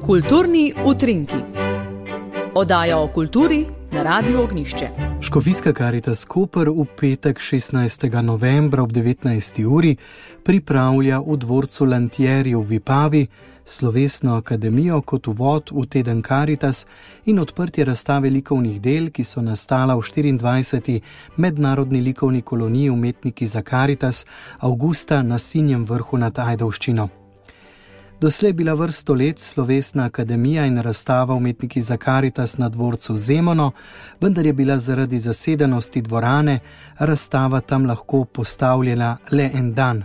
Kulturni utrinki. Oddaja o kulturi na Radiu Ognjišče. Škofijska Karitas Koper v petek 16. novembra ob 19. uri pripravlja v dvorcu Lantieri v Vipavi slovesno akademijo kot uvod v teden Karitas in odprtje razstave likovnih del, ki so nastala v 24. mednarodni likovni koloniji Umetniki za Karitas avgusta na Sinjem vrhu nad Ajdovščino. Doslej bila vrsto let slovesna akademija in razstava Umetniki za Karitas na dvorcu Zemono, vendar je bila zaradi zasedenosti dvorane razstava tam lahko postavljena le en dan.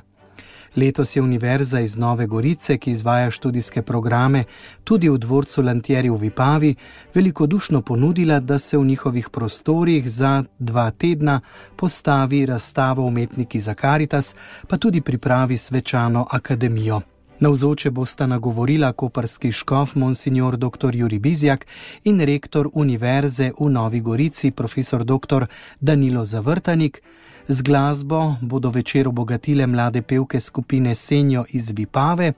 Letos je Univerza iz Nove Gorice, ki izvaja študijske programe tudi v dvorcu Lantieri v Vipavi, velikodušno ponudila, da se v njihovih prostorih za 2 tedna postavi razstavo Umetniki za Karitas, pa tudi pripravi svečano akademijo. Navzoče bosta nagovorila koprski škof monsignor dr. Jurij Bizjak in rektor Univerze v Novi Gorici profesor dr. Danilo Zavrtanik. Z glasbo bodo večer obogatile mlade pevke skupine Senjo iz Vipave.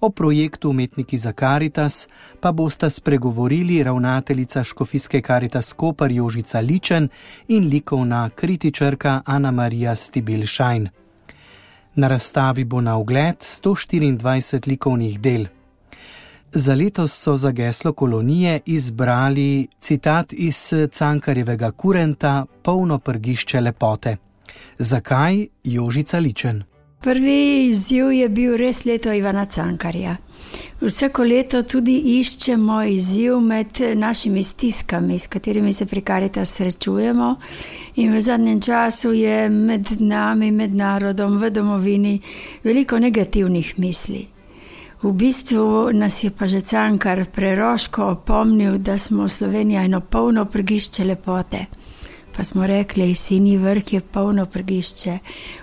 O projektu Umetniki za Karitas pa bosta spregovorili ravnateljica Škofijske Karitas Koper Jožica Ličen in likovna kritičarka Ana Marija Stibilšajn. Na razstavi bo na ogled 124 likovnih del. Za letos so za geslo kolonije izbrali citat iz Cankarjevega kurenta Polno prgišče lepote. Zakaj? Jožica Ličen. Prvi izziv je bil res leto Ivana Cankarja. Vsako leto tudi iščemo izziv med našimi stiskami, s katerimi se pri Karitas srečujemo, in v zadnjem času je med nami, med narodom, v domovini veliko negativnih misli. V bistvu nas je pa že Cankar preroško opomnil, da smo Slovenija eno polno prgišče lepote. Pa smo rekli, Sinji vrh je polno prgišče,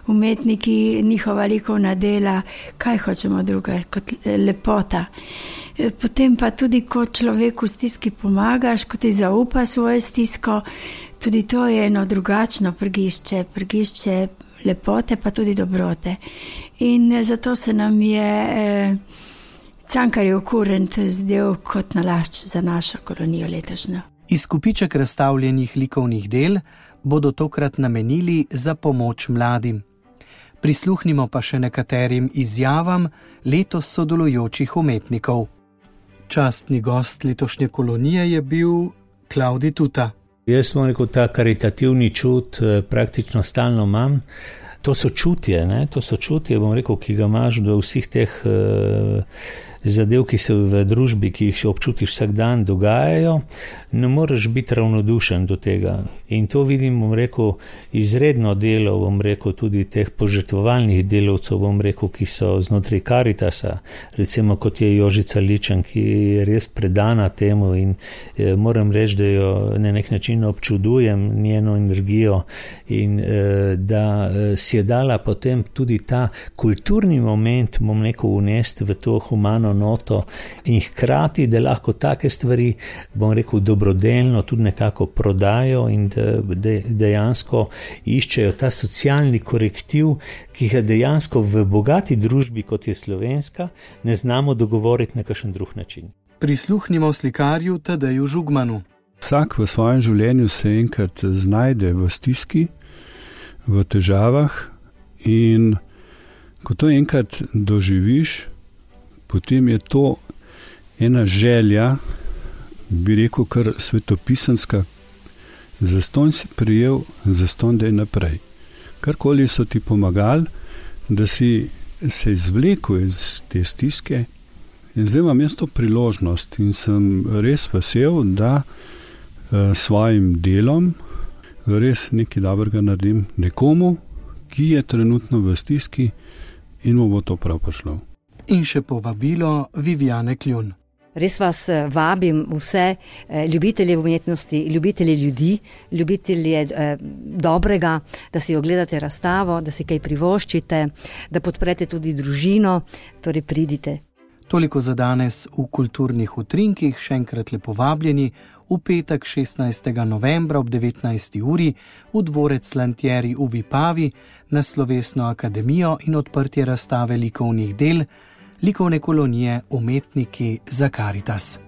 umetniki, njihova likovna dela, kaj hočemo druga kot lepota. Potem pa tudi, ko človeku v stiski pomagaš, ko ti zaupa svojo stisko, tudi to je eno drugačno prgišče lepote, pa tudi dobrote. In zato se nam je Cankarjev kurent zdel kot nalašč za našo kolonijo letošnjo. Izkupiček razstavljenih likovnih del bodo tokrat namenili za pomoč mladim. Prisluhnimo pa še nekaterim izjavam letos sodelujočih umetnikov. Častni gost letošnje kolonije je bil Klavdij Tuta. Jaz sem rekel, ta karitativni čut praktično stalno imam. To so čutje, bom rekel, ki ga imaš do vseh teh zadev, ki se v družbi, ki jih občutiš vsak dan, dogajajo, ne moreš biti ravnodušen do tega. In to vidim, bom rekel, izredno delo, bom rekel, tudi teh požrtvovalnih delavcev, bom rekel, ki so znotraj Karitasa, recimo kot je Jožica Ličen, ki je res predana temu in moram reči, da jo na nek način občudujem, njeno energijo in da si je dala potem tudi ta kulturni moment, bom rekel, unesti v to humano noto in hkrati, da lahko take stvari, bom rekel, dobrodelno tudi nekako prodajo in da dejansko iščejo ta socialni korektiv, ki ga dejansko v bogati družbi, kot je slovenska, ne znamo dogovoriti na kakšen drug način. Prisluhnimo slikarju Tadeju Žugmanu. Vsak v svojem življenju se enkrat znajde v stiski, v težavah in ko to enkrat doživiš, potem je to ena želja, bi rekel kar svetopisanska, zastonj si prijel, zastonj daj naprej. Karkoli so ti pomagali, da si se izvlekel iz te stiske in zdaj imam jaz to priložnost in sem res vesel, da svojim delom res nekaj dobrega naredim nekomu, ki je trenutno v stiski in mu bo to prav prišlo. In še povabilo Viviane Kljun. Res vas vabim vse ljubitelje umetnosti, ljubitelje ljudi, ljubitelje dobrega, da si ogledate razstavo, da si kaj privoščite, da podprete tudi družino, torej pridite. Toliko za danes v kulturnih utrinkih, še enkrat lepo vabljeni v petek 16. novembra ob 19. uri v dvorec Lantieri v Vipavi na slovesno akademijo in odprtje razstave likovnih del likovne kolonije Umetniki za Karitas.